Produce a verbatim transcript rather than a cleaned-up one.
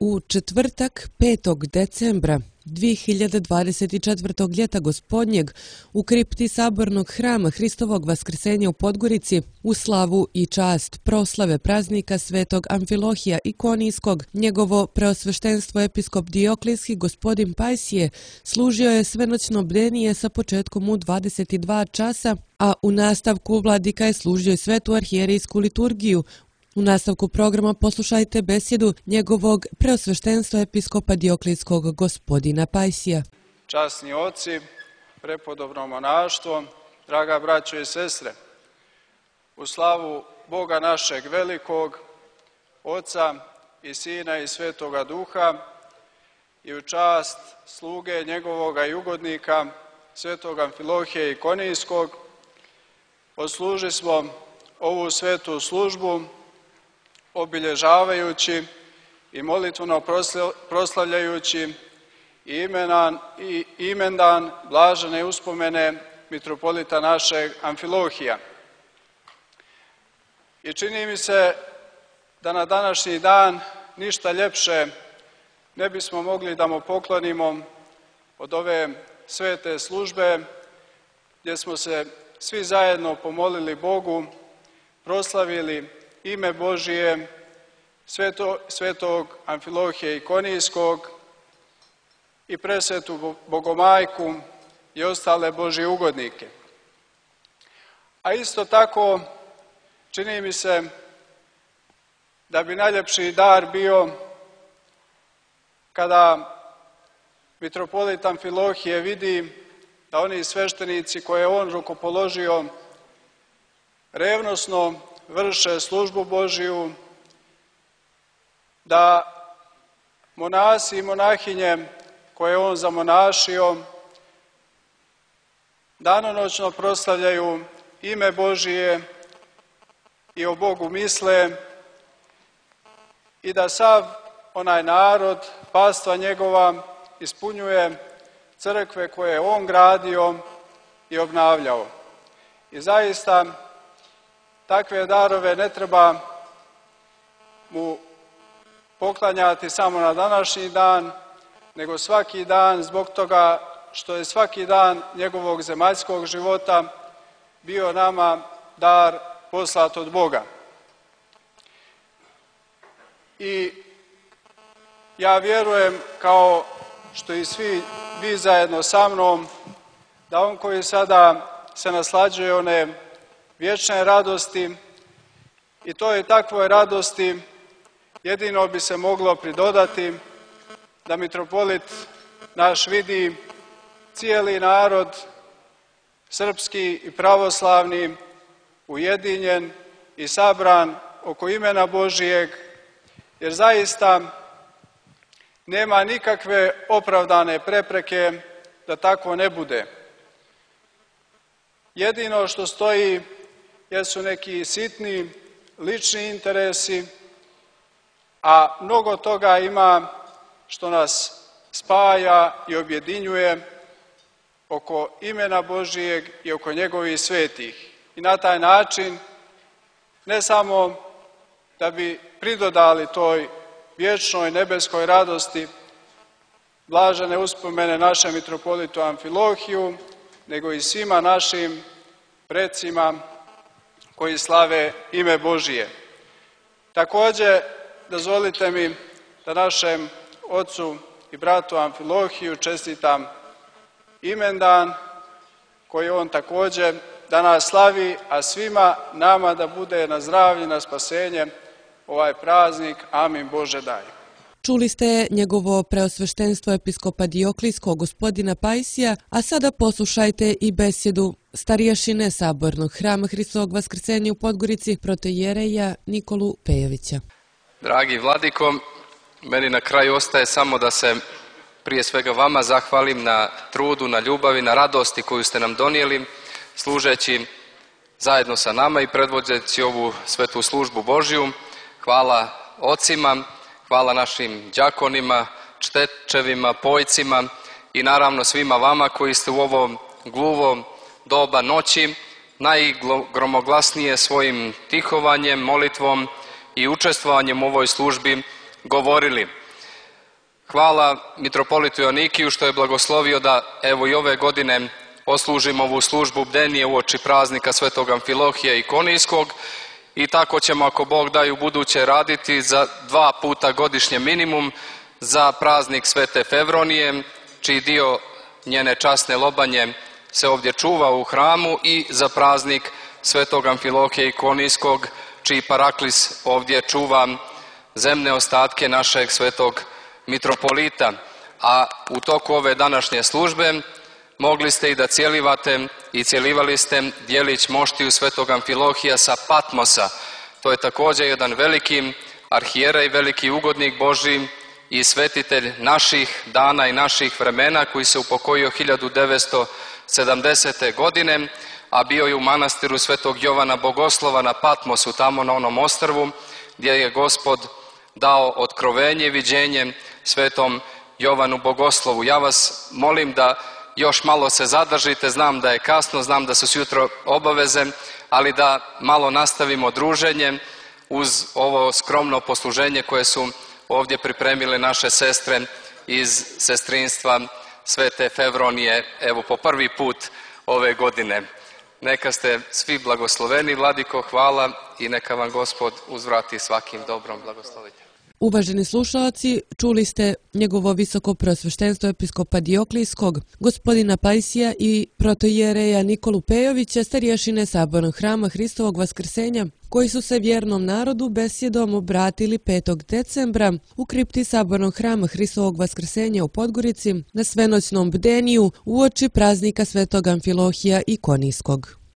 U četvrtak, petog decembra dvije hiljade dvadeset četvrtog ljeta gospodnjeg u kripti Sabornog hrama Hristovog Vaskrsenja u Podgorici u slavu i čast proslave praznika Svetog Amfilohija Ikonijskog, njegovo preosveštenstvo episkop Dioklijski gospodin Pajsije služio je svenoćno bdenije sa početkom u dvadeset dva časa, a u nastavku vladika je služio svetu arhijerijsku liturgiju. U nastavku programa poslušajte besjedu njegovog preosveštenstva episkopa Dioklijskog gospodina Pajsija. Časni oci, prepodobno monaštvo, draga braćo i sestre, u slavu Boga našeg velikog, Oca i Sina i Svetoga Duha i u čast sluge njegovoga i ugodnika, Svetog Amfilohija Ikonijskog, odsluži smo ovu svetu službu obilježavajući i molitveno proslavljajući imenan, i imendan blažene uspomene mitropolita našeg Amfilohija. I čini mi se da na današnji dan ništa ljepše ne bismo mogli da mu poklonimo od ove svete službe gdje smo se svi zajedno pomolili Bogu, proslavili ime Božije, sveto, svetog Amfilohija Ikonijskog i presvetu Bogomajku i ostale Božje ugodnike. A isto tako čini mi se da bi najljepši dar bio kada mitropolit Amfilohije vidi da oni sveštenici koje je on rukopoložio revnosno vrše službu Božiju, da monasi i monahinje koje je on zamonašio danonoćno proslavljaju ime Božije i o Bogu misle i da sav onaj narod, pastva njegova, ispunjuje crkve koje je on gradio i obnavljao. I zaista takve darove ne treba mu poklanjati samo na današnji dan, nego svaki dan zbog toga što je svaki dan njegovog zemaljskog života bio nama dar poslat od Boga. I ja vjerujem, kao što i svi vi zajedno sa mnom, da on koji sada se naslađuje one vječne radosti i toj takvoj radosti jedino bi se moglo pridodati da mitropolit naš vidi cijeli narod, srpski i pravoslavni, ujedinjen i sabran oko imena Božijeg, jer zaista nema nikakve opravdane prepreke da tako ne bude. Jedino što stoji jesu neki sitni, lični interesi, a mnogo toga ima što nas spaja i objedinjuje oko imena Božijeg i oko njegovih svetih. I na taj način, ne samo da bi pridodali toj vječnoj nebeskoj radosti blažene uspomene našem mitropolitu Amfilohiju, nego i svima našim precima koji slave ime Božije. Također, dozvolite mi da našem ocu i bratu Amfilohiju čestitam imendan koji on također danas slavi, a svima nama da bude na zdravlje, na spasenje ovaj praznik. Amin Bože daj. Čuli ste njegovo preosveštenstvo episkopa Dioklijskog gospodina Pajsija, a sada poslušajte i besjedu starješine Sabornog hrama Hristovog Vaskrsenja u Podgorici protoijereja Nikolu Pejovića. Dragi vladiko, meni na kraju ostaje samo da se prije svega vama zahvalim na trudu, na ljubavi, na radosti koju ste nam donijeli, služeći zajedno sa nama i predvodeći ovu svetu službu Božiju. Hvala ocima, hvala našim đakonima, čtečevima, pojcima i naravno svima vama koji ste u ovom gluvom doba noći najgromoglasnije svojim tihovanjem, molitvom i učestvovanjem u ovoj službi govorili. Hvala mitropolitu Joanikiju što je blagoslovio da evo i ove godine poslužimo ovu službu bdenije uoči praznika Svetog Amfilohija i Konijskog i tako ćemo, ako Bog da, i u buduće raditi za dva puta godišnje minimum za praznik Svete Fevronije, čiji dio njene časne lobanje se ovdje čuva u hramu, i za praznik Svetog Amfilohija i Konijskog, čiji paraklis ovdje čuva zemne ostatke našeg svetog mitropolita. A u toku ove današnje službe mogli ste i da cijelivate i cijelivali ste dijelić moštiju Svetog Amfilohija sa Patmosa. To je također jedan veliki arhijerej, veliki ugodnik Božji i svetitelj naših dana i naših vremena, koji se upokojio hiljadu devetsto sedamdesete. godine, a bio je u manastiru Svetog Jovana Bogoslova na Patmosu, tamo na onom ostrvu gdje je Gospod dao otkrovenje i viđenje Svetom Jovanu Bogoslovu. Ja vas molim da još malo se zadržite, znam da je kasno, znam da su sjutro obaveze, ali da malo nastavimo druženje uz ovo skromno posluženje koje su ovdje pripremile naše sestre iz sestrinstva Svete Fevronije, evo po prvi put ove godine. Neka ste svi blagosloveni, Vladiko, hvala, i neka vam Gospod uzvrati svakim dobrom. Blagoslovite. Uvaženi slušalci, čuli ste njegovo visoko preosveštenstvo episkopa Dioklijskog, gospodina Pajsija i protoijereja Nikolu Pejovića, starješine Sabornog hrama Hristovog vaskrsenja, koji su se vjernom narodu besjedom obratili petog decembra u kripti Sabornog hrama Hristovog vaskrsenja u Podgorici na svenoćnom bdeniju uoči praznika Svetog Amfilohija i Konijskog.